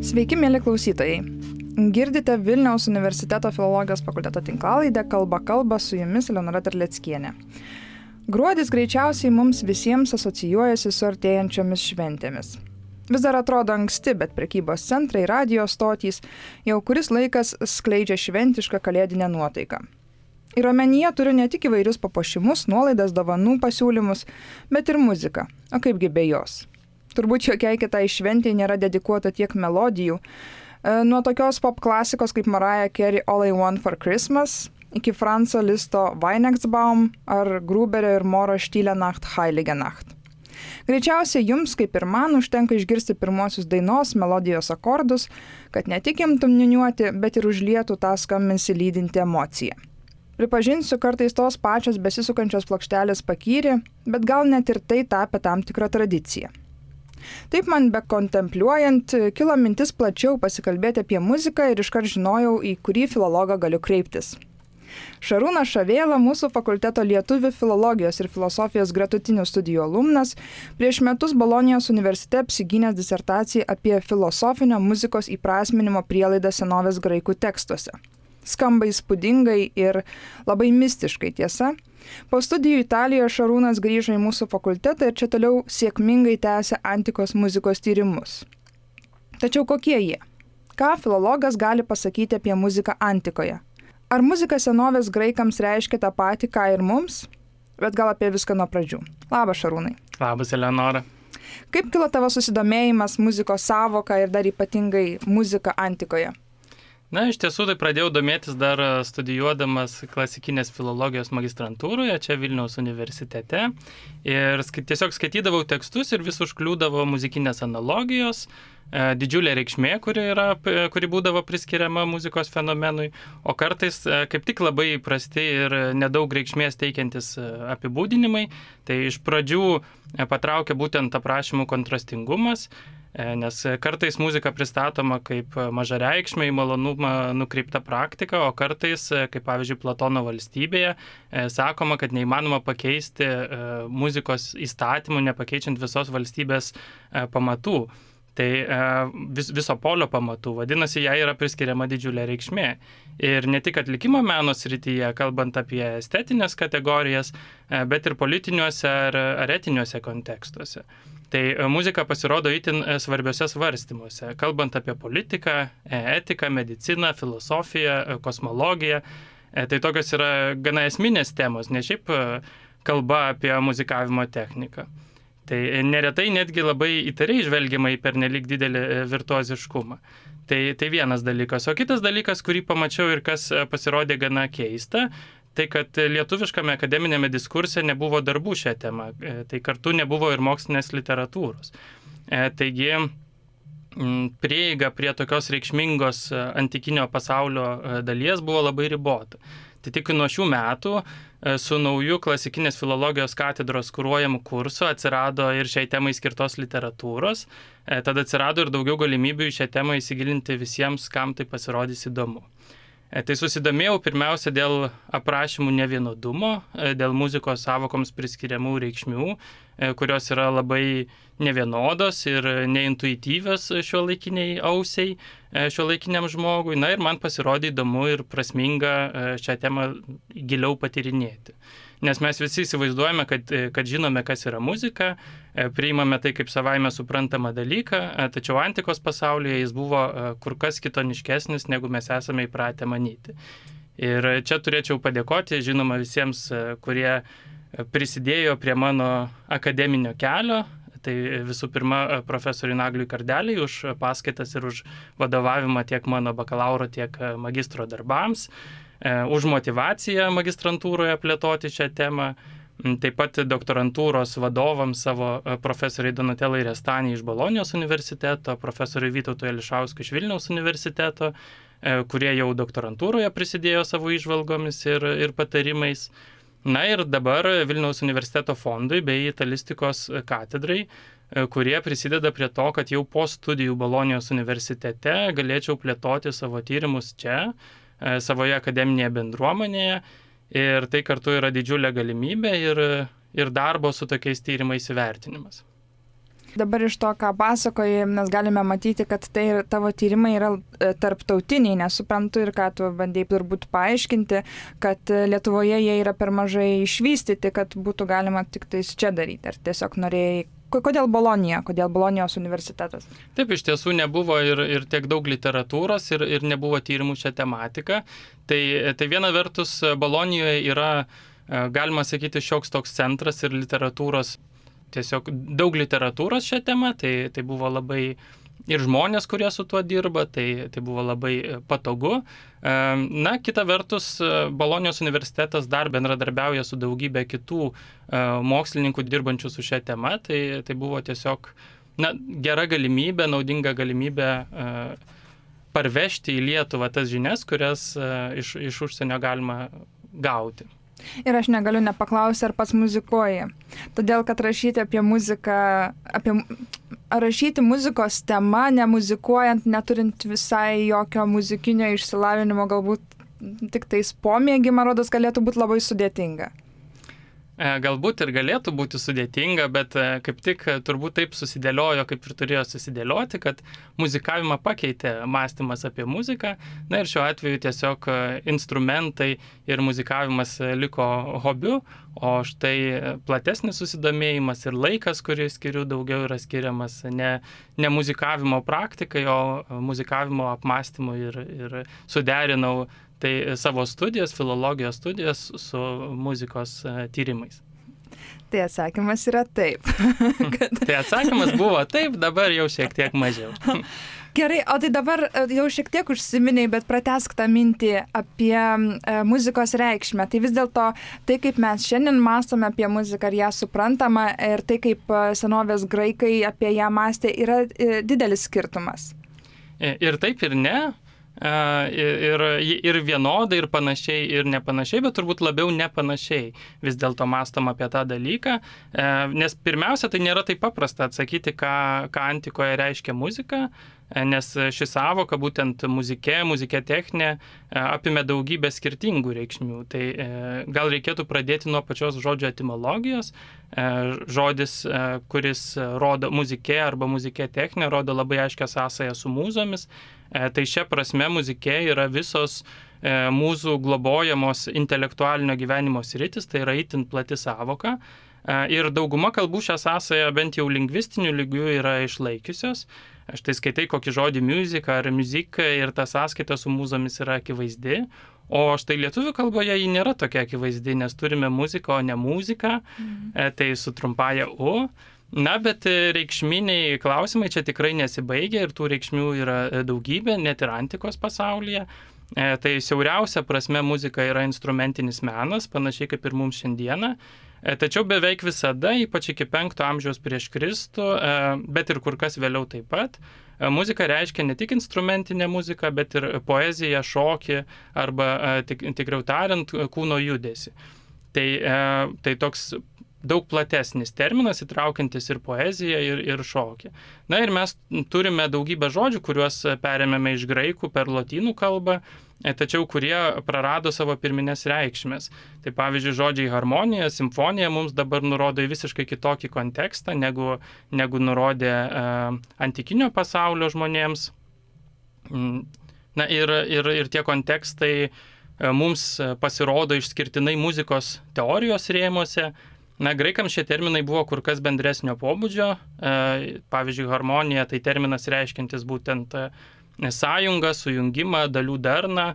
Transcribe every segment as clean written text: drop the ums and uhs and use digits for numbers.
Sveiki, mėly klausytojai. Girdite Vilniaus universiteto filologijos fakulteto tinklalaidę Kalba su jumis Eleonora Terleckienė. Gruodis greičiausiai mums visiems asocijuojasi su artėjančiomis šventėmis. Vis dar atrodo anksti, bet prekybos centrai, radijo stotys jau kuris laikas skleidžia šventišką kalėdinę nuotaiką. Ir omenyje turiu ne tik įvairius papuošimus, nuolaidas, dovanų pasiūlymus, bet ir muziką. O kaipgi be jos? Turbūt jokiai kitai šventei nėra dedikuota tiek melodijų. Nuo tokios pop klasikos kaip Mariah Carey All I Want for Christmas iki Franzo Listo Weihnachtsbaum ar Gruberio ir Moro Stille Nacht Heilige Nacht. Greičiausiai jums, kaip ir man, užtenka išgirsti pirmosius dainos melodijos akordus, kad ne tik imtum niūniuoti, bet ir užlietų tą skambesį lydinti emociją. Pripažinsiu, kartais tos pačios besisukančios plokštelės pakyri, bet gal net ir tai tapė tam tikrą tradiciją. Taip man bekontempliuojant, kilo mintis plačiau pasikalbėti apie muziką ir iškart žinojau, į kurį filologą galiu kreiptis. Šarūnas Šavėla, mūsų fakulteto lietuvių filologijos ir filosofijos gretutinių studijų alumnas, prieš metus Bolonijos universitete apsigynęs disertaciją apie filosofinio muzikos įprasminimo prielaidą senovės graikų tekstuose. Skamba įspūdingai ir labai mistiškai, tiesa. Po studijų Italijoje Šarūnas grįžo į mūsų fakultetą ir čia toliau sėkmingai tęsia antikos muzikos tyrimus. Tačiau kokie jie? Ką filologas gali pasakyti apie muziką antikoje? Ar muzika senovės graikams reiškia tą patį, ką ir mums? Bet gal apie viską nuo pradžių. Labas, Šarūnai. Labas, Eleonora. Kaip kilo tavo susidomėjimas muzikos sąvoka ir dar ypatingai muzika antikoje? Na, iš tiesų, tai pradėjau domėtis dar studijuodamas klasikinės filologijos magistrantūroje, čia Vilniaus universitete. Ir tiesiog skaitydavau tekstus ir vis užkliūdavo muzikinės analogijos, didžiulė reikšmė, kuri būdavo priskiriama muzikos fenomenui, o kartais kaip tik labai prasti ir nedaug reikšmės teikiantis apibūdinimai. Tai iš pradžių patraukė būtent aprašymų kontrastingumas, nes kartais muzika pristatoma kaip mažareikšmė, į malonumą nukreipta praktika, o kartais, kaip pavyzdžiui Platono Valstybėje, sakoma, kad neįmanoma pakeisti muzikos įstatymų, nepakeičiant visos valstybės pamatų. Tai viso polio pamatų, vadinasi, jai yra priskiriama didžiulė reikšmė. Ir ne tik atlikimo meno srityje, kalbant apie estetinės kategorijas, bet ir politiniuose ar etiniuose kontekstuose. Tai muzika pasirodo itin svarbiuose svarstymuose, kalbant apie politiką, etiką, mediciną, filosofiją, kosmologiją. Tai tokios yra gana esminės temos, ne šiaip kalba apie muzikavimo techniką. Tai neretai netgi labai įtariai žvelgiama į pernelyg didelį virtuoziškumą. Tai vienas dalykas. O kitas dalykas, kurį pamačiau ir kas pasirodė gana keista, tai kad lietuviškame akademinėme diskurse nebuvo darbų šią temą. Tai kartu nebuvo ir mokslinės literatūros. Taigi prieiga prie tokios reikšmingos antikinio pasaulio dalies buvo labai ribota. Tai tik nuo šių metų su nauju klasikinės filologijos katedros kuruojamu kursu atsirado ir šiai temai skirtos literatūros. Tada atsirado ir daugiau galimybių į šią temą įsigilinti visiems, kam tai pasirodys įdomu. Tai susidomėjau pirmiausia dėl aprašymų nevienodumo, dėl muzikos sąvokoms priskiriamų reikšmių, kurios yra labai nevienodos ir neintuityvios šiuolaikiniai ausiai, šiuolaikiniam žmogui. Na ir man pasirodė įdomu ir prasminga šią temą giliau patyrinėti. Nes mes visi įsivaizduojame, kad žinome, kas yra muzika, priimame tai kaip savaime suprantamą dalyką, tačiau antikos pasaulyje jis buvo kur kas kitoniškesnis, negu mes esame įpratę manyti. Ir čia turėčiau padėkoti, žinoma, visiems, kurie prisidėjo prie mano akademinio kelio. Tai visų pirma, profesoriui Nagliui Kardeliui už paskaitas ir už vadovavimą tiek mano bakalauro, tiek magistro darbams, už motyvaciją magistrantūroje plėtoti šią temą, taip pat doktorantūros vadovams savo profesoriai Donatelai Restani iš Bolonijos universiteto, profesoriui Vytautui Ališauskui iš Vilniaus universiteto, kurie jau doktorantūroje prisidėjo savo įžvalgomis ir patarimais. Na ir dabar Vilniaus universiteto fondui bei italistikos katedrai, kurie prisideda prie to, kad jau po studijų Bolonijos universitete galėčiau plėtoti savo tyrimus čia, savoje akademinėje bendruomenėje. Ir tai kartu yra didžiulė galimybė ir darbo su tokiais tyrimais įvertinimas. Dabar iš to, ką pasakoji, mes galime matyti, kad tai tavo tyrimai yra tarptautiniai, nesuprantu ir ką tu bandėjai turbūt paaiškinti, kad Lietuvoje jie yra per mažai išvystyti, kad būtų galima tik tais čia daryti. Ar tiesiog norėjai, kodėl Bolonija, kodėl Bolonijos universitetas? Taip, iš tiesų nebuvo ir tiek daug literatūros ir nebuvo tyrimų šią tematiką. Tai viena vertus Bolonijoje yra, galima sakyti, šioks toks centras ir literatūros, tiesiog daug literatūros šią temą, tai buvo labai ir žmonės, kurie su tuo dirba, tai buvo labai patogu. Na, kita vertus, Bolonijos universitetas dar bendradarbiauja su daugybė kitų mokslininkų dirbančių su šią temą, tai buvo tiesiog gera galimybė, naudinga galimybė parvežti į Lietuvą tas žinias, kurias iš užsienio galima gauti. Ir aš negaliu nepaklausti, ar pats muzikuoji. Todėl, kad rašyti apie muziką, rašyti muzikos temą, nemuzikuojant, neturint visai jokio muzikinio išsilavinimo, galbūt tik tais pomėgį, man rodos, galėtų būti labai sudėtinga. Galbūt ir galėtų būti sudėtinga, bet kaip tik turbūt taip susidėliojo, kaip ir turėjo susidėlioti, kad muzikavimą pakeitė mąstymas apie muziką. Na ir šiuo atveju tiesiog instrumentai ir muzikavimas liko hobiu, o štai platesnis susidomėjimas ir laikas, kurį skiriu, daugiau yra skiriamas ne muzikavimo praktikai, o muzikavimo apmąstymui ir suderinau tai savo studijas, filologijos studijas su muzikos tyrimais. Tai atsakymas yra taip. Tai atsakymas buvo taip, dabar jau šiek tiek mažiau. Gerai, o tai dabar jau šiek tiek užsiminiai, bet pratęsk tą mintį apie muzikos reikšmę. Tai vis dėlto tai, kaip mes šiandien mąstome apie muziką ir ją suprantama, ir tai, kaip senovės graikai apie ją mąstė, yra didelis skirtumas. Ir taip, ir ne. Ir vienodai, ir panašiai, ir nepanašiai, bet turbūt labiau nepanašiai vis dėlto mąstom apie tą dalyką, nes pirmiausia, tai nėra taip paprasta atsakyti, ką antikoje reiškia muzika, nes ši sąvoka, būtent muzikė techninė, apimė daugybę skirtingų reikšmių. Tai gal reikėtų pradėti nuo pačios žodžio etimologijos. Žodis, kuris rodo muzikė arba muzikė techninė, rodo labai aiškią sąsają su mūzomis. Tai šia prasme muzikė yra visos mūsų globojamos intelektualinio gyvenimo sritis, tai yra itin plati sąvoka. Ir dauguma kalbų šią sąsają bent jau lingvistiniu lygiu yra išlaikiusios. Štai skaitai kokį žodį music ar music ir ta sąskaita su mūzomis yra akivaizdi. O štai lietuvių kalboje ji nėra tokia akivaizdi, nes turime muziką, o ne muziką, tai su trumpaja U. Na, bet reikšminiai klausimai čia tikrai nesibaigia ir tų reikšmių yra daugybė, net ir antikos pasaulyje. Tai siauriausia prasme muzika yra instrumentinis menas, panašiai kaip ir mums šiandieną. Tačiau beveik visada, ypač iki 5 amžiaus prieš Kristų, bet ir kur kas vėliau taip pat, muzika reiškia ne tik instrumentinę muziką, bet ir poeziją, šokį arba, tikriau tariant, kūno judesį. Tai toks daug platesnis terminas, įtraukiantis ir poeziją, ir šokį. Na ir mes turime daugybę žodžių, kuriuos perėmėme iš graikų per lotynų kalbą, tačiau kurie prarado savo pirminės reikšmės. Tai pavyzdžiui, žodžiai harmonija, simfonija mums dabar nurodo į visiškai kitokį kontekstą, negu nurodė antikinio pasaulio žmonėms. Na ir tie kontekstai mums pasirodo išskirtinai muzikos teorijos rėmuose. Na, graikams šie terminai buvo kur kas bendresnio pobūdžio. Pavyzdžiui, harmonija tai terminas reiškiantis būtent sąjungą, sujungimą, dalių darną,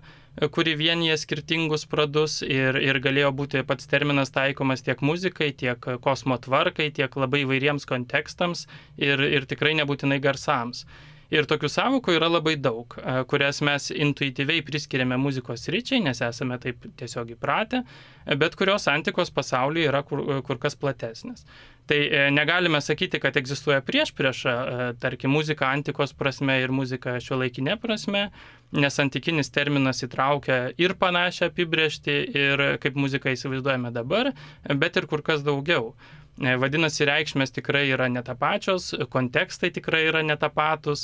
kuri vienyje skirtingus pradus ir galėjo būti pats terminas taikomas tiek muzikai, tiek kosmo tvarkai, tiek labai įvairiems kontekstams ir tikrai nebūtinai garsams. Ir tokių sąvokų yra labai daug, kurias mes intuityviai priskiriame muzikos sričiai, nes esame taip tiesiog įpratę, bet kurios antikos pasaulyje yra kur kas platesnės. Tai negalime sakyti, kad egzistuoja priešprieša, tarkim, muzika antikos prasme ir muzika šiuolaikinė prasme, nes antikinis terminas įtraukia ir panašią apibrėžtį, ir kaip muziką įsivaizduojame dabar, bet ir kur kas daugiau. Vadinasi, reikšmės tikrai yra netapačios, kontekstai tikrai yra netapatus,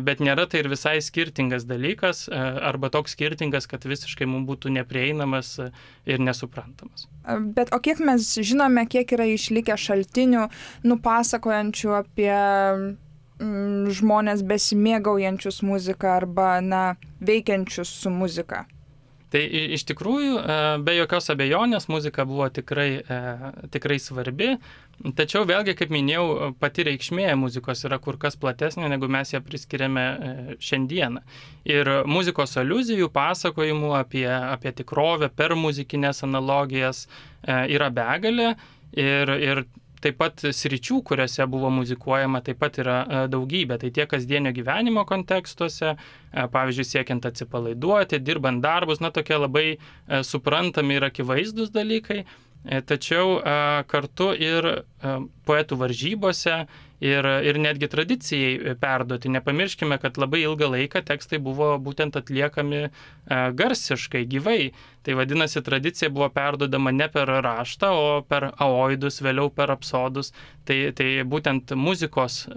bet nėra tai ir visai skirtingas dalykas, arba toks skirtingas, kad visiškai mums būtų neprieinamas ir nesuprantamas. Bet o kiek mes žinome, kiek yra išlikę šaltinių, nupasakojančių apie žmonės besimėgaujančius muziką arba, veikiančius su muzika? Tai iš tikrųjų, be jokios abejonės, muzika buvo tikrai svarbi, tačiau vėlgi, kaip minėjau, pati reikšmė muzikos yra kur kas platesnė, negu mes ją priskiriame šiandieną. Ir muzikos aliuzijų, pasakojimų apie tikrovę per muzikinės analogijas yra begalė ir taip pat sričių, kuriuose buvo muzikuojama, taip pat yra daugybė. Tai tiek kasdienio gyvenimo kontekstuose, pavyzdžiui, siekiant atsipalaiduoti, dirbant darbus, tokie labai suprantami ir akivaizdus dalykai, tačiau kartu ir poetų varžybose ir netgi tradicijai perduoti. Nepamirškime, kad labai ilgą laiką tekstai buvo būtent atliekami garsiškai, gyvai. Tai vadinasi, tradicija buvo perduodama ne per raštą, o per aoidus, vėliau per apsodus. Tai būtent muzikos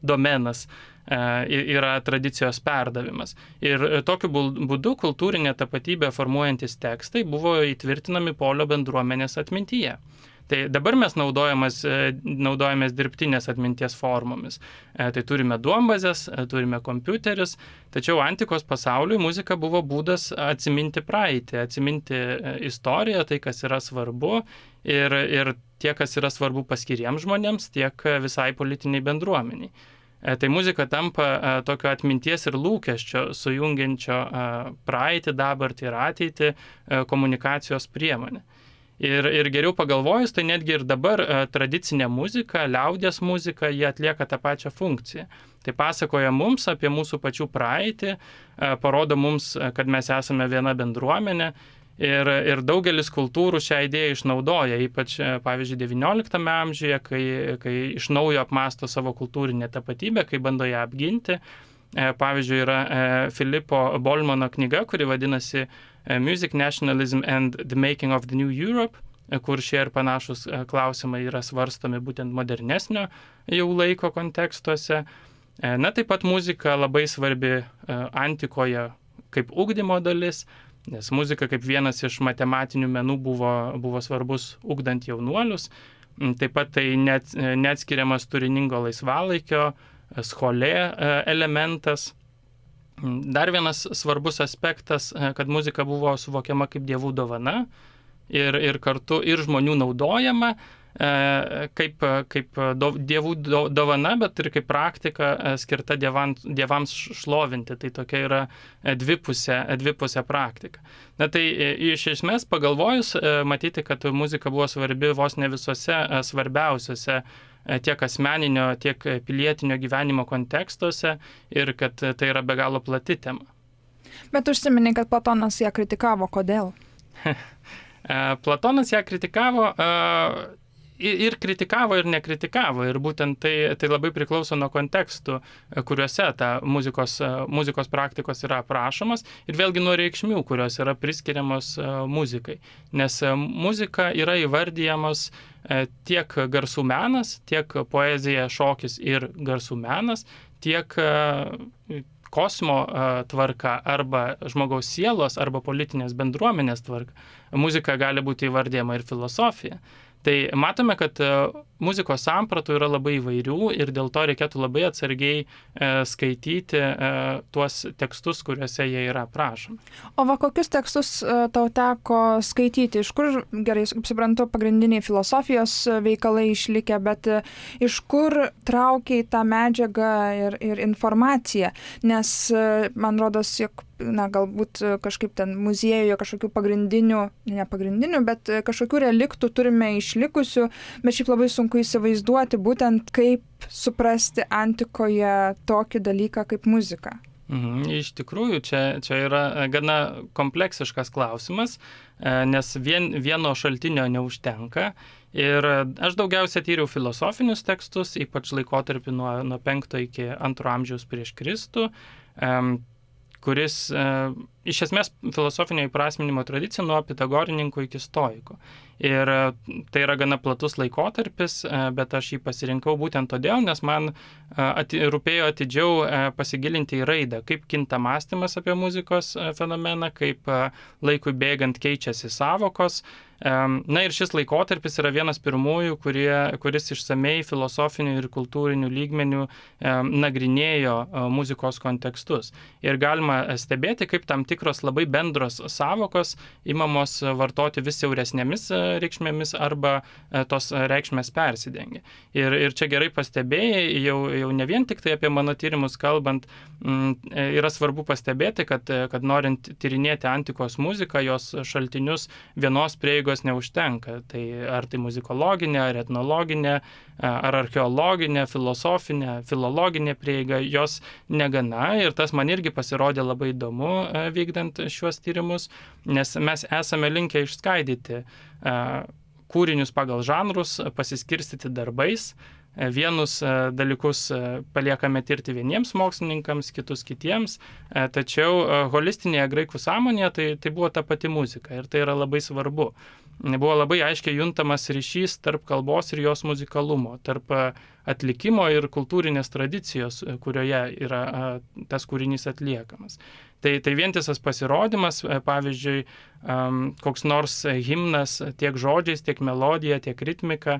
domenas yra tradicijos perdavimas. Ir tokiu būdu kultūrinė tapatybė formuojantis tekstai buvo įtvirtinami polio bendruomenės atmintyje. Tai dabar mes naudojamės dirbtinės atminties formomis. Tai turime duombazes, turime kompiuteris, tačiau antikos pasauliui muzika buvo būdas atsiminti praeitį, atsiminti istoriją, tai kas yra svarbu ir tiek, kas yra svarbu paskiriems žmonėms, tiek visai politiniai bendruomeniai. Tai muzika tampa tokio atminties ir lūkesčio, sujungiančio praeitį, dabartį ir ateitį komunikacijos priemonė. Ir geriau pagalvojus, tai netgi ir dabar tradicinė muzika, liaudies muzika, jie atlieka tą pačią funkciją. Tai pasakoja mums apie mūsų pačių praeitį, parodo mums, kad mes esame viena bendruomenė ir daugelis kultūrų šią idėją išnaudoja, ypač, pavyzdžiui, XIX amžiuje, kai iš naujo apmąsto savo kultūrinę tapatybę, kai bando ją apginti. Pavyzdžiui, yra Filipo Bolmano knyga, kuri vadinasi Music, Nationalism and the Making of the New Europe, kur šie ir panašus klausimai yra svarstomi būtent modernesnio jau laiko kontekstuose. Taip pat muzika labai svarbi antikoje kaip ugdymo dalis, nes muzika kaip vienas iš matematinių menų buvo svarbus ugdant jaunuolius. Taip pat tai neatskiriamas turiningo laisvalaikio, scholė elementas. Dar vienas svarbus aspektas, kad muzika buvo suvokiama kaip dievų dovana ir kartu ir žmonių naudojama kaip dievų dovana, bet ir kaip praktika skirta dievams šlovinti. Tai tokia yra dvipusė praktika. Tai iš esmės pagalvojus, matyti, kad muzika buvo svarbi vos ne visose svarbiausiose tiek asmeninio, tiek pilietinio gyvenimo kontekstuose ir kad tai yra be galo plati tema. Bet užsiminė, kad Platonas ją kritikavo. Kodėl? Platonas ją kritikavo ir kritikavo, ir nekritikavo. Ir būtent tai labai priklauso nuo kontekstų, kuriuose ta muzikos praktikos yra aprašomas ir vėlgi nuo reikšmių, kurios yra priskiriamos muzikai. Nes muzika yra įvardyjamos tiek garsų menas, tiek poezija, šokis ir garsų menas, tiek kosmo tvarka arba žmogaus sielos arba politinės bendruomenės tvarka. Muzika gali būti įvardyjama ir filosofija. Tai matome, kad muzikos sampratų yra labai įvairių ir dėl to reikėtų labai atsargiai skaityti tuos tekstus, kuriuose jie yra aprašomi. O kokius tekstus tau teko skaityti? Iš kur, gerai, suprantu, pagrindiniai filosofijos veikalai išlikę, bet iš kur traukiai tą medžiagą ir informaciją? Nes man rodos, jog galbūt kažkaip ten muziejuje kažkokių nepagrindinių, bet kažkokių reliktų turime išlikusių, bet šiaip labai sunku įsivaizduoti būtent kaip suprasti antikoje tokį dalyką kaip muzika. Iš tikrųjų, čia yra gana kompleksiškas klausimas, nes vieno šaltinio neužtenka. Ir aš daugiausia tyriau filosofinius tekstus, ypač laikotarpį nuo 5 iki 2 amžiaus prieš Kristų, kuris iš esmės filosofinio įprasminimo tradicija nuo pitagorininkų iki stoikų. Ir tai yra gana platus laikotarpis, bet aš jį pasirinkau būtent todėl, nes man rūpėjo atidžiau pasigilinti į raidą, kaip kinta mąstymas apie muzikos fenomeną, kaip laikui bėgant keičiasi savokos. Na ir šis laikotarpis yra vienas pirmųjų, kuris išsamei filosofinių ir kultūrinių lygmenių nagrinėjo muzikos kontekstus. Ir galima stebėti, kaip tam tikros labai bendros savokos imamos vartoti vis siauresnėmis reikšmėmis arba tos reikšmės persidengia. Ir čia gerai pastebėjai, jau ne vien tik tai apie mano tyrimus kalbant, yra svarbu pastebėti, kad norint tyrinėti antikos muziką, jos šaltinius vienos prieigos neužtenka. Tai ar tai muzikologinė, ar etnologinė, ar archeologinė, filosofinė, filologinė prieiga, jos negana. Ir tas man irgi pasirodė labai įdomu vykdant šiuos tyrimus, nes mes esame linkę išskaidyti kūrinius pagal žanrus, pasiskirstyti darbais. Vienus dalykus paliekame tirti vieniems mokslininkams, kitus kitiems, tačiau holistinėje graikų sąmonėje tai buvo ta pati muzika ir tai yra labai svarbu. Buvo labai aiškiai juntamas ryšys tarp kalbos ir jos muzikalumo, tarp atlikimo ir kultūrinės tradicijos, kurioje yra tas kūrinys atliekamas. Tai vientisas pasirodymas, pavyzdžiui, koks nors himnas tiek žodžiais, tiek melodija, tiek ritmika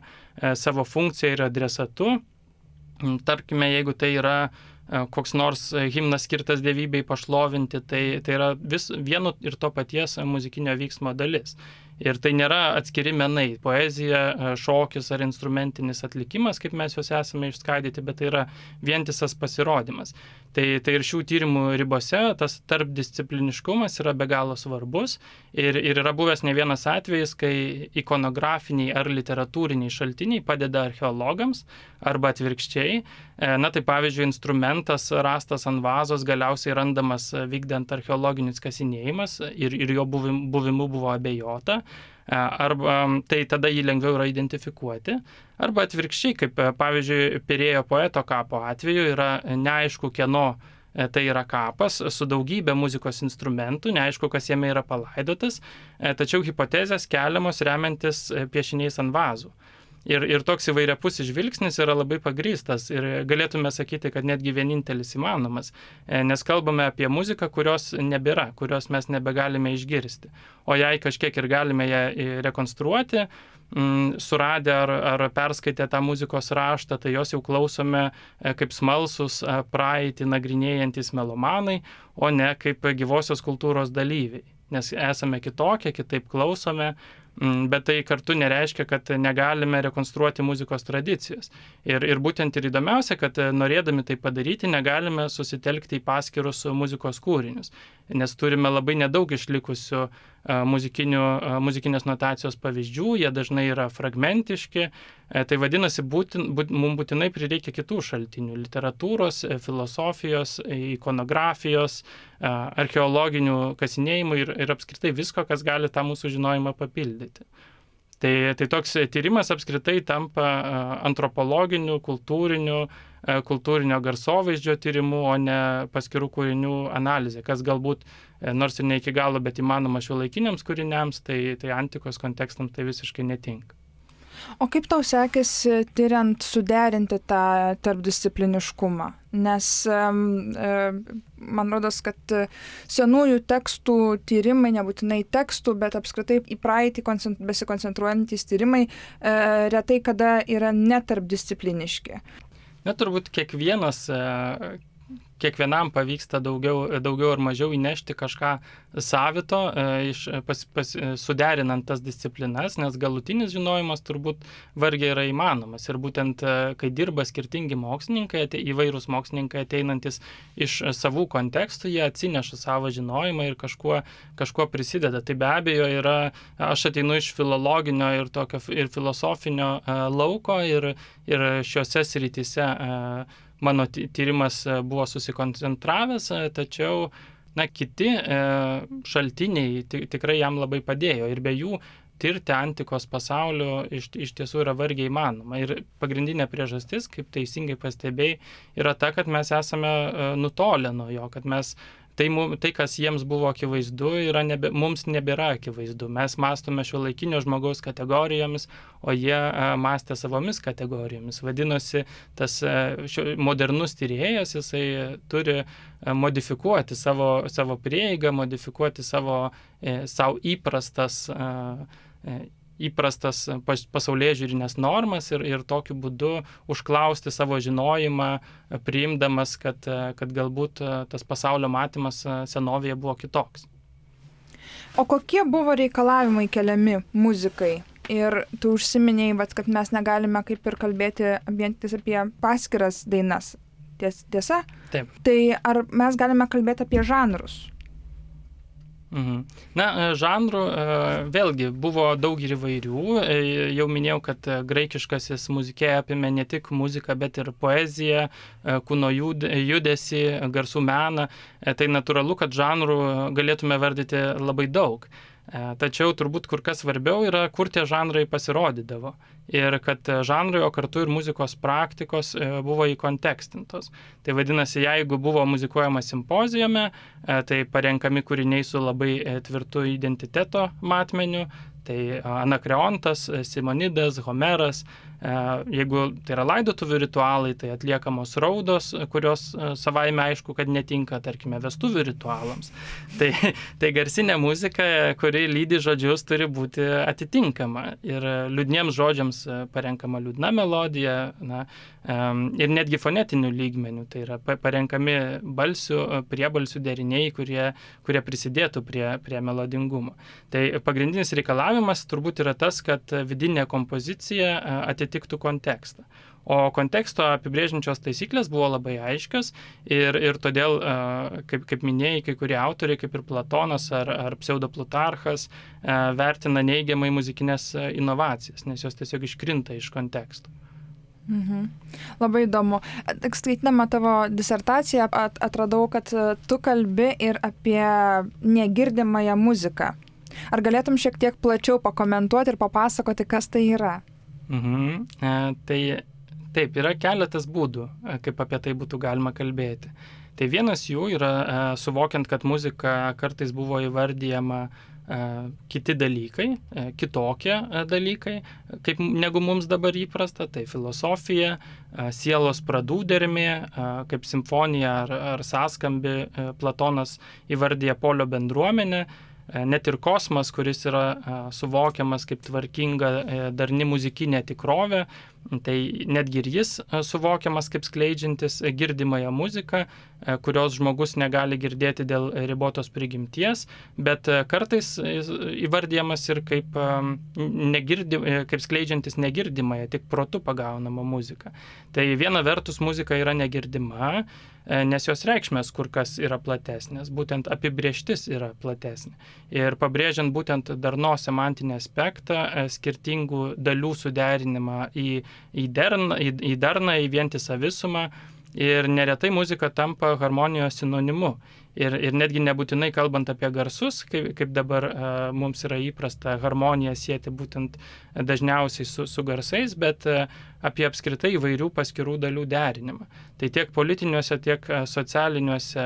savo funkciją ir adresatu. Tarkime, jeigu tai yra koks nors himnas skirtas dievybei pašlovinti, tai yra vieno ir to paties muzikinio vyksmo dalis. Ir tai nėra atskiri menai, poezija, šokis ar instrumentinis atlikimas, kaip mes juos esame išskaidyti, bet tai yra vientisas pasirodymas. Tai ir šių tyrimų ribose tas tarpdiscipliniškumas yra be galo svarbus ir yra buvęs ne vienas atvejis, kai ikonografiniai ar literatūriniai šaltiniai padeda archeologams arba atvirkščiai. Na tai pavyzdžiui, instrumentas rastas ant vazos galiausiai randamas vykdant archeologinius kasinėjimus ir jo buvimu buvo abejota. Arba tai tada jį lengviau yra identifikuoti, arba atvirkščiai, kaip pavyzdžiui, Pirėjo poeto kapo atveju yra neaišku, kieno tai yra kapas su daugybė muzikos instrumentų, neaišku, kas jame yra palaidotas, tačiau hipotezės keliamos remiantis piešiniais ant vazų. Ir toks įvairiapusis žvilgsnis yra labai pagrįstas ir galėtume sakyti, kad netgi vienintelis įmanomas, nes kalbame apie muziką, kurios nebėra, kurios mes nebegalime išgirsti. O jei kažkiek ir galime ją rekonstruoti, suradę ar perskaitę tą muzikos raštą, tai jos jau klausome kaip smalsus praeitį nagrinėjantis melomanai, o ne kaip gyvosios kultūros dalyviai. Nes esame kitokie, kitaip klausome, bet tai kartu nereiškia, kad negalime rekonstruoti muzikos tradicijos. Ir būtent ir įdomiausia, kad norėdami tai padaryti, negalime susitelkti į paskirus muzikos kūrinius, nes turime labai nedaug išlikusių muzikinės notacijos pavyzdžių, jie dažnai yra fragmentiški, tai vadinasi, mums būtinai prireikia kitų šaltinių - literatūros, filosofijos, ikonografijos, archeologinių kasinėjimų ir apskritai visko, kas gali tą mūsų žinojimą papildyti. Tai toks tyrimas apskritai tampa antropologiniu, kultūrinio garsovaizdžio tyrimu, o ne paskirų kūrinių analizė, kas galbūt, nors ir ne iki galo, bet įmanoma šiuolaikiniams kūriniams, tai antikos kontekstams tai visiškai netinka. O kaip tau sekėsi tyriant suderinti tą tarpdiscipliniškumą? Nes man rodos, kad senųjų tekstų tyrimai, nebūtinai tekstų, bet apskritai į praeitį besikoncentruojantys tyrimai retai kada yra netarpdiscipliniški. Na, turbūt kiekvienam pavyksta daugiau ar mažiau įnešti kažką savito, suderinant tas disciplinas, nes galutinis žinojimas turbūt vargiai yra įmanomas. Ir būtent, kai dirba skirtingi mokslininkai, įvairūs mokslininkai ateinantis iš savų kontekstų, jie atsineša savo žinojimą ir kažkuo prisideda. Tai be abejo aš ateinu iš filologinio ir filosofinio lauko ir šiuose srityse mano tyrimas buvo susikoncentravęs, tačiau kiti šaltiniai tikrai jam labai padėjo ir be jų tirti antikos pasaulio iš tiesų yra vargiai įmanoma. Ir pagrindinė priežastis, kaip teisingai pastebėjai, yra ta, kad mes esame nutolę nuo jo, kad mes tai, kas jiems buvo akivaizdu, mums nebėra akivaizdu. Mes mąstome šiuolaikinio žmogaus kategorijomis, o jie mąstė savomis kategorijomis. Vadinosi, tas modernus tyrėjas, jisai turi modifikuoti savo prieigą, modifikuoti savo įprastas pasaulėžiūrinės normas ir tokiu būdu užklausti savo žinojimą, priimdamas, kad galbūt tas pasaulio matymas senovėje buvo kitoks. O kokie buvo reikalavimai keliami muzikai? Ir tu užsiminėjai, kad mes negalime kaip ir kalbėti vien tik apie paskiras dainas. Tiesa? Taip. Tai ar mes galime kalbėti apie žanrus? Na, žanrų vėlgi buvo daug ir įvairių. Jau minėjau, kad graikiškasis muzikė apėmė ne tik muziką, bet ir poeziją, kūno judesį, garsų meną. Tai natūralu, kad žanrų galėtume vardyti labai daug. Tačiau turbūt kur kas svarbiau yra, kur tie žanrai pasirodydavo. Ir kad žanrai, o kartu ir muzikos praktikos buvo įkontekstintos. Tai vadinasi, jeigu buvo muzikuojama simpozijume, tai parenkami kūriniai su labai tvirtu identiteto matmeniu, tai Anakreontas, Simonidas, Homeras. Jeigu tai yra laidotuvių ritualai, tai atliekamos raudos, kurios savaime aišku, kad netinka, tarkime, vestuvių ritualams. Tai garsinė muzika, kuri lydi žodžius, turi būti atitinkama. Ir liūdniems žodžiams parenkama liūdna melodija, ir netgi fonetinių lygmenių. Tai yra parenkami priebalsių deriniai, kurie prisidėtų prie melodingumo. Tai pagrindinis reikalavimas turbūt yra tas, kad vidinė kompozicija atitiktų kontekstą. O konteksto apibrėžiančios taisyklės buvo labai aiškios ir todėl, kaip minėjai, kai kurie autoriai, kaip ir Platonas ar Pseudoplutarchas, vertina neigiamai muzikinės inovacijas, nes jos tiesiog iškrinta iš konteksto. Labai įdomu. Skaitydama tavo disertaciją atradau, kad tu kalbi ir apie negirdimąją muziką. Ar galėtum šiek tiek plačiau pakomentuoti ir papasakoti, kas tai yra? Tai taip, yra keletas būdų, kaip apie tai būtų galima kalbėti. Tai vienas jų yra suvokiant, kad muzika kartais buvo įvardyjama kiti dalykai, kitokie dalykai, negu mums dabar įprasta, tai filosofija, sielos pradų dermė, kaip simfonija ar sąskambi Platonas įvardyja polio bendruomenę, net ir kosmas, kuris yra suvokiamas kaip tvarkinga darni muzikinė tikrovė, tai netgi ir jis suvokiamas kaip skleidžiantis girdimąją muziką, kurios žmogus negali girdėti dėl ribotos prigimties, bet kartais įvardyjamas ir kaip skleidžiantis negirdimąją, tik protu pagaunamą muziką. Tai viena vertus muzika yra negirdima, nes jos reikšmės kur kas yra platesnės, būtent apibrėžtis yra platesnė. Ir pabrėžiant būtent darnos semantinį aspektą, skirtingų dalių suderinimą į darną, į vientisą visumą, ir neretai muzika tampa harmonijos sinonimu. Ir netgi nebūtinai kalbant apie garsus, kaip dabar mums yra įprasta harmoniją sieti būtent dažniausiai su garsais, bet apie apskritai įvairių paskirų dalių derinimą. Tai tiek politiniuose, tiek socialiniuose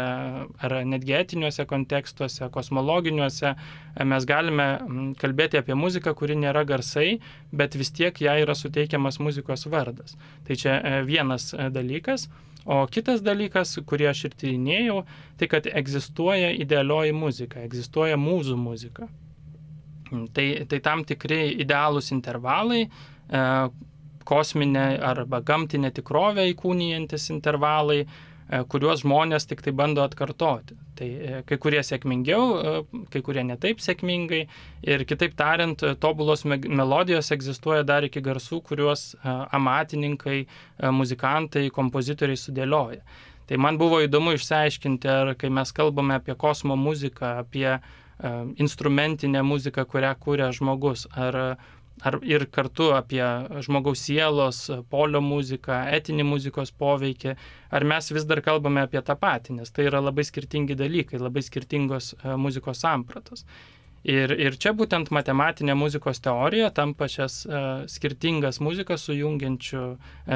ar netgi etiniuose kontekstuose, kosmologiniuose mes galime kalbėti apie muziką, kuri nėra garsai, bet vis tiek jai yra suteikiamas muzikos vardas. Tai čia vienas dalykas. O kitas dalykas, kurį aš ir tyrinėjau, tai kad egzistuoja idealioji muzika, egzistuoja mūzų muzika. Tai tam tikri idealūs intervalai, kosminė arba gamtinė tikrovė įkūnijantis intervalai, kuriuos žmonės tik tai bando atkartoti. Tai kai kurie sėkmingiau, kai kurie netaip sėkmingai. Ir kitaip tariant, tobulos melodijos egzistuoja dar iki garsų, kuriuos amatininkai, muzikantai, kompozitoriai sudėlioja. Tai man buvo įdomu išsiaiškinti, ar kai mes kalbame apie kosmo muziką, apie instrumentinę muziką, kurią kūrė žmogus, ar ir kartu apie žmogaus sielos, polio muziką, etinį muzikos poveikį, ar mes vis dar kalbame apie tą patį, nes tai yra labai skirtingi dalykai, labai skirtingos muzikos sampratos. Ir čia būtent matematinė muzikos teorija tampa šias skirtingas muzikas sujungiančių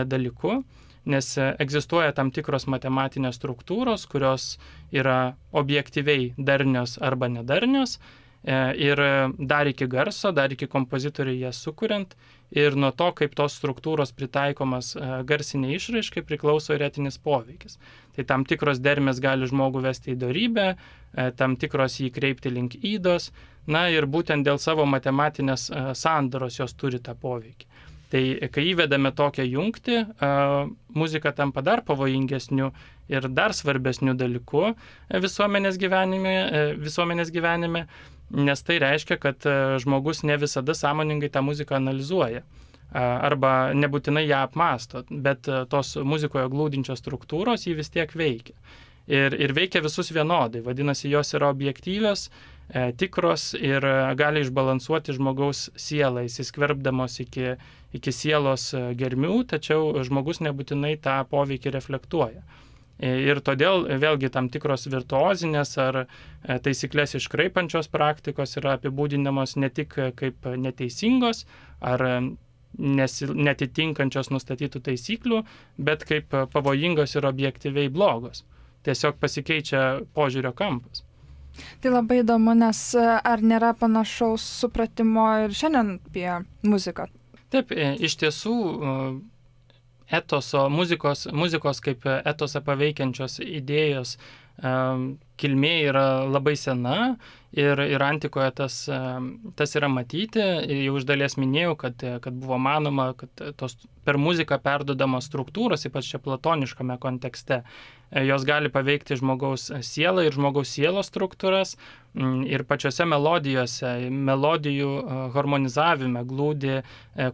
dalykų, nes egzistuoja tam tikros matematinės struktūros, kurios yra objektyviai darnios arba nedarnios, ir dar iki garso, dar iki kompozitoriai jas sukuriant, ir nuo to, kaip tos struktūros pritaikomas garsiniai išraiškai, priklauso ir etinis poveikis. Tai tam tikros dermės gali žmogų vesti į dorybę, tam tikros jį kreipti link ydos, ir būtent dėl savo matematinės sandaros jos turi tą poveikį. Tai kai įvedame tokią jungtį, muzika tampa dar pavojingesniu ir dar svarbesniu dalyku visuomenės gyvenime, nes tai reiškia, kad žmogus ne visada sąmoningai tą muziką analizuoja arba nebūtinai ją apmąsto, bet tos muzikoje glūdinčios struktūros jį vis tiek veikia. Ir veikia visus vienodai, vadinasi, jos yra objektyvios, tikros ir gali išbalansuoti žmogaus sielą, įsiskverbdamos iki sielos germių, tačiau žmogus nebūtinai tą poveikį reflektuoja. Ir todėl vėlgi tam tikros virtuozinės ar taisyklės iškraipančios praktikos yra apibūdinamos ne tik kaip neteisingos ar netitinkančios nustatytų taisyklių, bet kaip pavojingos ir objektyviai blogos. Tiesiog pasikeičia požiūrio kampas. Tai labai įdomu, nes ar nėra panašaus supratimo ir šiandien apie muziką? Taip, iš tiesų etoso, muzikos kaip etosą paveikiančios idėjos kilmė yra labai sena ir antikoje tas yra matyti. Jau iš dalies minėjau, kad buvo manoma, kad tos per muziką perduodamos struktūros, ypač čia platoniškame kontekste, jos gali paveikti žmogaus sielą ir žmogaus sielos struktūras. Ir pačiose melodijų harmonizavime glūdi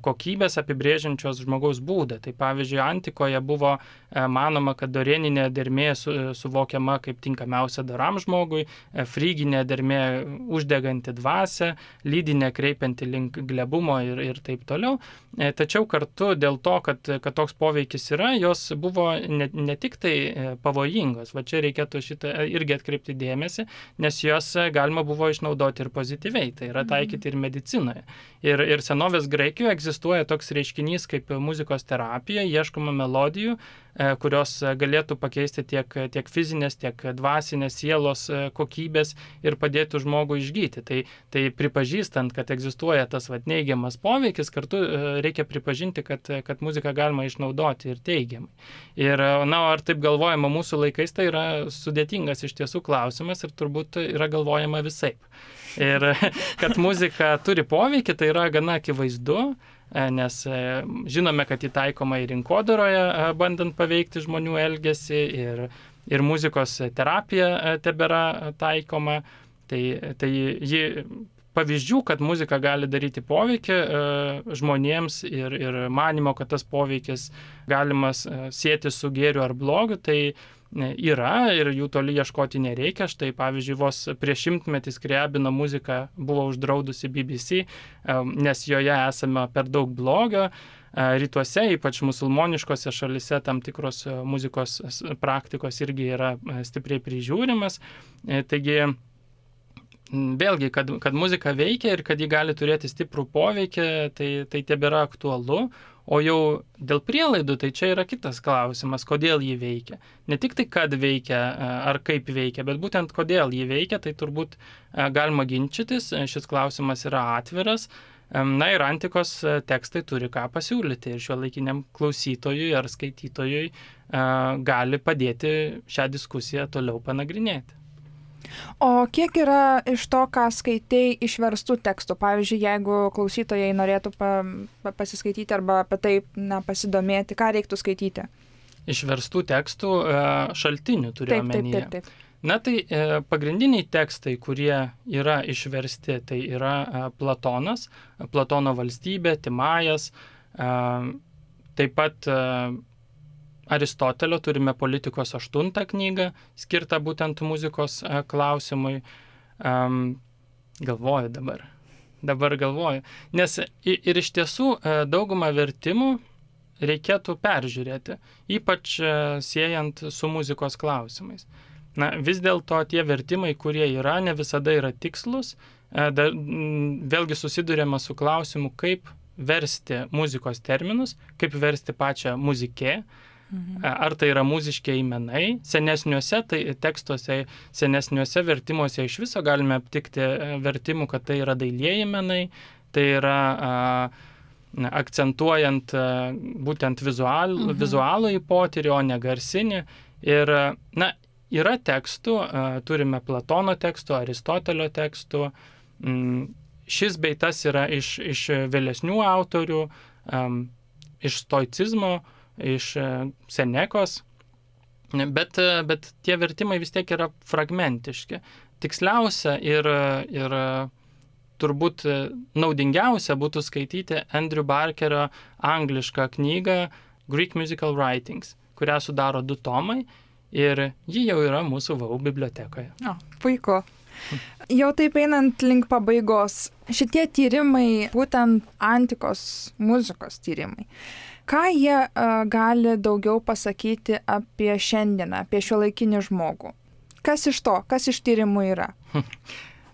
kokybės apibrėžiančios žmogaus būdą. Tai pavyzdžiui, antikoje buvo manoma, kad dorėninė dermė suvokiama kaip tinkamiausia doram žmogui, fryginė dermė uždeganti dvasią, lydinė kreipianti link glebumo ir taip toliau. Tačiau kartu dėl to, kad toks poveikis yra, jos buvo ne tik tai pavojingos. Va čia reikėtų šitą irgi atkreipti dėmesį, nes jos galima buvo išnaudoti ir pozityviai, tai yra taikyti ir medicinoje. Ir senovės Graikijoje egzistuoja toks reiškinys kaip muzikos terapija, ieškoma melodijų, kurios galėtų pakeisti tiek fizinės, tiek dvasinės sielos kokybės ir padėtų žmogui išgyti. Tai pripažįstant, kad egzistuoja tas neigiamas poveikis, kartu reikia pripažinti, kad muziką galima išnaudoti ir teigiamai. Ir ar taip galvojama mūsų laikais, tai yra sudėtingas iš tiesų klausimas ir turbūt yra galvojama visaip. Ir kad muzika turi poveikį, tai yra gana akivaizdu, nes žinome, kad įtaikoma ir rinkodaroje, bandant paveikti žmonių elgesį, ir muzikos terapija tebėra taikoma. Tai ji pavyzdžių, kad muzika gali daryti poveikį žmonėms ir manimo, kad tas poveikis galimas sieti su gėriu ar blogiu, tai yra ir jų toli ieškoti nereikia. Štai pavyzdžiui, vos prieš 100 metį Skriabino muzika buvo uždraudusi BBC, nes joje esame per daug blogio. Rytuose, ypač musulmoniškose šalise, tam tikros muzikos praktikos irgi yra stipriai prižiūrimas. Taigi, vėlgi, kad muzika veikia ir kad ji gali turėti stiprų poveikį, tai tebėra aktualu. O jau dėl prielaidų, tai čia yra kitas klausimas, kodėl ji veikia. Ne tik tai, kad veikia ar kaip veikia, bet būtent kodėl ji veikia, tai turbūt galima ginčytis. Šis klausimas yra atviras. Ir antikos tekstai turi ką pasiūlyti ir šiuolaikiniam klausytojui ar skaitytojui gali padėti šią diskusiją toliau panagrinėti. O kiek yra iš to, ką skaitei, išverstų tekstų? Pavyzdžiui, jeigu klausytojai norėtų pasiskaityti arba apie tai pasidomėti, ką reiktų skaityti? Išverstų tekstų šaltinių turiu omenyje. Taip. Tai pagrindiniai tekstai, kurie yra išversti, tai yra Platonas, Platono valstybė, Timajas, taip pat Aristotelio turime Politikos 8 knygą, skirtą būtent muzikos klausimui. Galvoju dabar galvoju. Nes ir iš tiesų daugumą vertimų reikėtų peržiūrėti, ypač siejant su muzikos klausimais. Vis dėlto tie vertimai, kurie yra, ne visada yra tikslus, vėlgi susidurėme su klausimu, kaip versti muzikos terminus, kaip versti pačią muzikę. Ar tai yra muziškiai menai. Senesniuose tekstuose, senesniuose vertimuose iš viso galime aptikti vertimų, kad tai yra dailieji menai, tai yra akcentuojant būtent vizualų į potyrį, o ne garsinį. Ir, yra tekstų, turime Platono tekstų, Aristotelio tekstų. Šis bei tas yra iš vėlesnių autorių, iš stoicizmo, iš Senekos, bet tie vertimai vis tiek yra fragmentiški. Tiksliausia ir turbūt naudingiausia būtų skaityti Andrew Barkerio anglišką knygą Greek Musical Writings, kurią sudaro 2 tomai ir ji jau yra mūsų VAU bibliotekoje. Puiku. Jau taip einant link pabaigos, šitie tyrimai, būtent antikos muzikos tyrimai, ką jie gali daugiau pasakyti apie šiandieną, apie šiuolaikinį žmogų? Kas iš to? Kas iš tyrimų yra?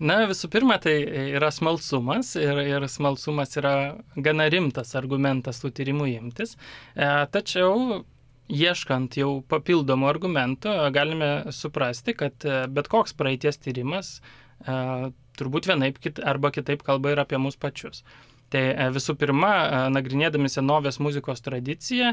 Visų pirma, tai yra smalsumas ir smalsumas yra gana rimtas argumentas tų tyrimų imtis. Tačiau, ieškant jau papildomų argumentų, galime suprasti, kad bet koks praeities tyrimas turbūt vienaip arba kitaip kalba ir apie mus pačius. Tai visų pirma, nagrinėdami senovės muzikos tradiciją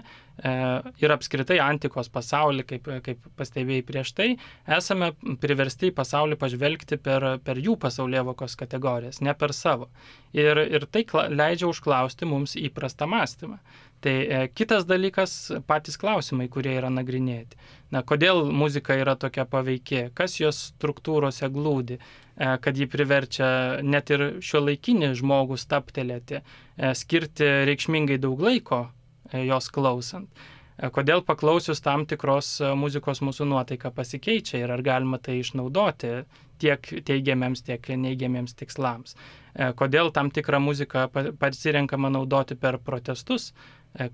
ir apskritai antikos pasaulį, kaip pastebėjai prieš tai, esame priversti į pasaulį pažvelgti per jų pasaulėvokos kategorijas, ne per savo. Ir tai leidžia užklausti mums įprastą mąstymą. Tai kitas dalykas, patys klausimai, kurie yra nagrinėti. Kodėl muzika yra tokia paveiki, kas jos struktūrose glūdi, kad ji priverčia net ir šiuolaikinį žmogų stabtelėti, skirti reikšmingai daug laiko jos klausant. Kodėl paklausius tam tikros muzikos mūsų nuotaika pasikeičia ir ar galima tai išnaudoti tiek teigiamiems, tiek neigiamiems tikslams. Kodėl tam tikrą muziką pasirenkama naudoti per protestus,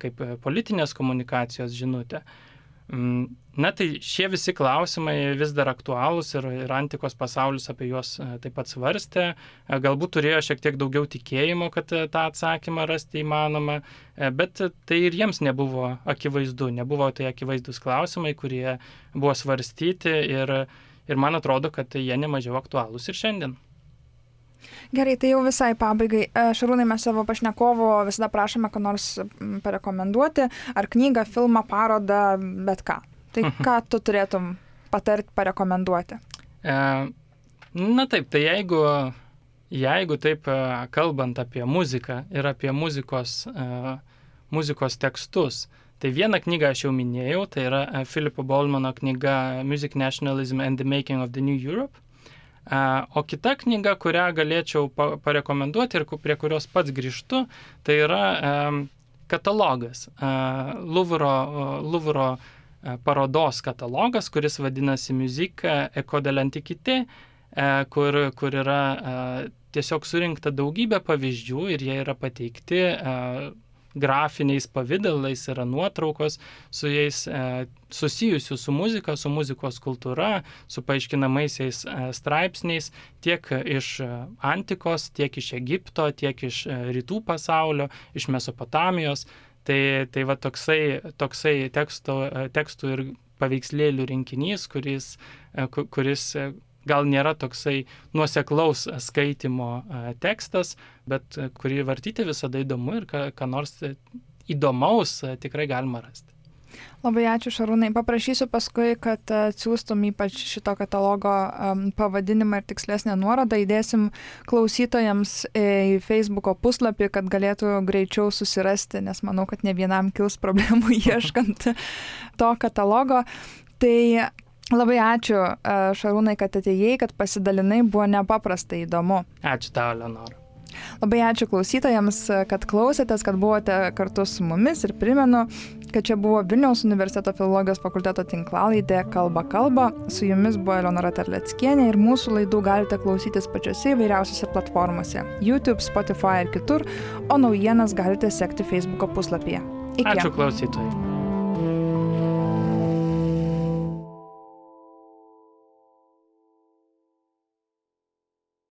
kaip politinės komunikacijos žinutė. Tai šie visi klausimai vis dar aktualūs ir antikos pasaulis apie juos taip pat svarstė. Galbūt turėjo šiek tiek daugiau tikėjimo, kad tą atsakymą rasti įmanoma, bet tai ir jiems nebuvo akivaizdu, nebuvo tai akivaizdus klausimai, kurie buvo svarstyti ir man atrodo, kad jie nemažiau aktualūs ir šiandien. Gerai, tai jau visai pabaigai. Šarūnai, mes savo pašnekovo visada prašome, ką nors parekomenduoti, ar knygą, filmą, parodą, bet ką. Tai ką tu turėtum patarti, parekomenduoti? Taip, tai jeigu taip kalbant apie muziką ir apie muzikos tekstus, tai vieną knygą aš jau minėjau, tai yra Philippo Bollmano knyga Music Nationalism and the Making of the New Europe. O kita knyga, kurią galėčiau parekomenduoti ir prie kurios pats grįžtu, tai yra katalogas, Louvro parodos katalogas, kuris vadinasi Musique Eco de l'Antiquité, kur yra tiesiog surinkta daugybė pavyzdžių ir jie yra pateikti grafiniais pavidalais, yra nuotraukos su jais susijusių su muzika, su muzikos kultūra, su paaiškinamaisiais straipsniais, tiek iš antikos, tiek iš Egipto, tiek iš rytų pasaulio, iš Mesopotamijos. Tai va toksai tekstų ir paveikslėlių rinkinys, kuris gal nėra toksai nuoseklaus skaitimo tekstas, bet kurį vartyti visada įdomu ir ką nors įdomaus tikrai galima rasti. Labai ačiū, Šarūnai. Paprašysiu paskui, kad atsiųstum ypač šito katalogo pavadinimą ir tikslesnę nuorodą. Įdėsim klausytojams į Facebooko puslapį, kad galėtų greičiau susirasti, nes manau, kad ne vienam kils problemų ieškant to katalogo. Tai labai ačiū, Šarūnai, kad atėjai, kad pasidalinai, buvo nepaprastai įdomu. Ačiū tau, Leonora. Labai ačiū klausytojams, kad klausėtės, kad buvote kartu su mumis ir primenu, kad čia buvo Vilniaus universiteto filologijos fakulteto tinklalaidė Kalba kalba. Su jumis buvo Eleonora Terleckienė ir mūsų laidų galite klausytis pačiose įvairiausiose platformose – YouTube, Spotify ir kitur, o naujienas galite sekti Facebooko puslapyje. Iki. Ačiū klausytojai.